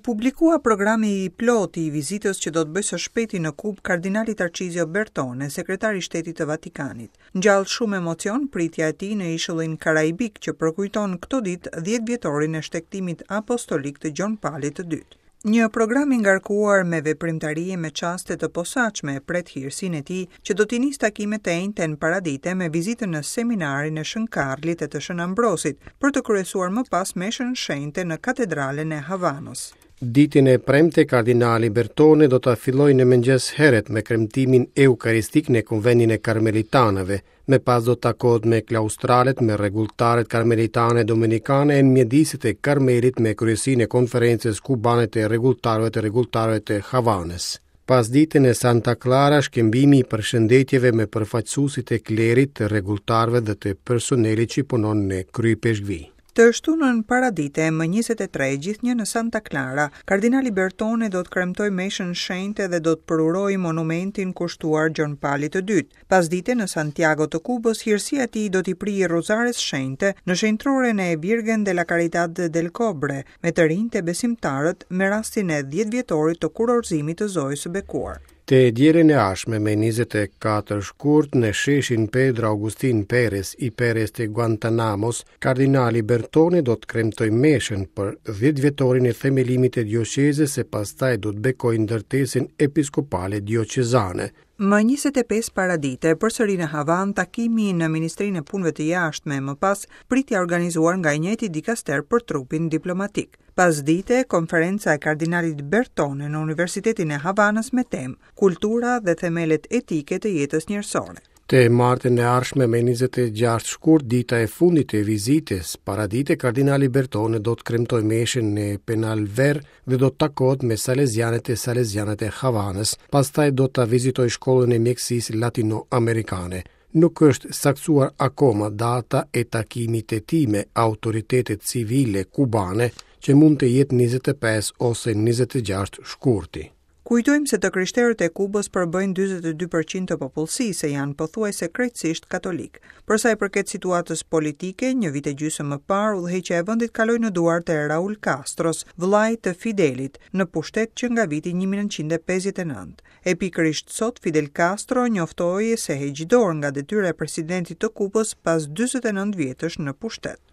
publikua programi i plotë i vizitës që do të bëjë së shpejti në Kubë kardinali Tarcizio Bertone, sekretar i Shtetit të Vatikanit. Ngjall shumë emocion pritja e tij në ishullin Karaibik që përkujton këto ditë dhjetëvjetorin e shtegtimit apostolik të Gjon Palit të Dytë. Një program i ngarkuar me veprimtari e me çaste të posaçme e pret hirësinë e tij që do t'i nisë takimet të enjten paradite me vizitën në seminarin e Shën Karlit e të Shën Ambrosit, për të kryesuar më pas meshën shenjte në Katedralen e Havanës. Ditën e premte kardinali Bertone do ta fillojë në mëngjes herët me kremtimin eukaristik në konventin e karmelitanëve, Më pas do të takohet me klaustralet, me rregulltarët karmelitane domenikane e në mjediset e Karmelit me kryesinë e Konferencës Kubane të Rregulltarëve të Rregulltarëve të Havanës. Pasdite në Santa Clara, shkëmbimi i përshëndetjeve me përfaqësuesit e klerit, të rregulltarëve dhe të personelit që punon në Kryeipeshkvi. Të shtunën paradite, më 23, gjithnjë në Santa Clara, kardinali Bertone do të kremtojë meshën shenjte dhe do të përurojë monumentin kushtuar Gjon Palit të Dytë. Pasdite në Santiago të Kubës, hirësia e tij do t'i prijë Rruzares Shenjte në shenjtroren e Virgen de la Caridad del Cobre, me të rinjtë e besimtarët me rastin e dhjetëvjetorit të kurorëzimit të Zojës së Bekuar. Të dielën e ardhshme me 24 shkurt në sheshin Pedro Agustin Perez y Perez të Guantanamos, kardinali Bertone do të kremtojë meshën për dhjetëvjetorin e themelimit të dioqezës e pastaj do të bekojë ndërtesën episkopale dioqezane. Më 25 paradite, përsëri në Havanë, takimi në Ministrinë e Punëve të Jashtme, më pas pritja e organizuar nga i njëjti dikaster për trupin diplomatik. Pasdite, konferenca e kardinalit Bertone në Universitetin e Havanës me temë, Kultura dhe themelet etike të jetës njerëzore. Të martën e ardhshme me 26 shkurt, dita e fundit e vizitës, paradite kardinali Bertone do të kremtojë meshën në Penalver dhe do të takohet me salezianët e salezianet e Havanës, pastaj do ta vizitojë shkollën e mjekësisë latino-amerikane. Nuk është saktësuar akoma data e takimit të tij me autoritetet civile kubane, që mund të jetë 25 ose 26 shkurti. Kujtojmë se të krishterët e Kubës përbëjnë 42 për qind të popullsisë e janë pothuajse krejtësisht katolikë. Për sa i përket situatës politike, një vit e gjysmë më parë udhëheqja e vendit kaloi në duart e Raul Castros, vëllait të Fidelit, në pushtet që nga viti 1959. E pikërisht sot Fidel Castro njoftoi se heq dorë nga detyra e presidentit të Kubës pas 49 vjetësh në pushtet.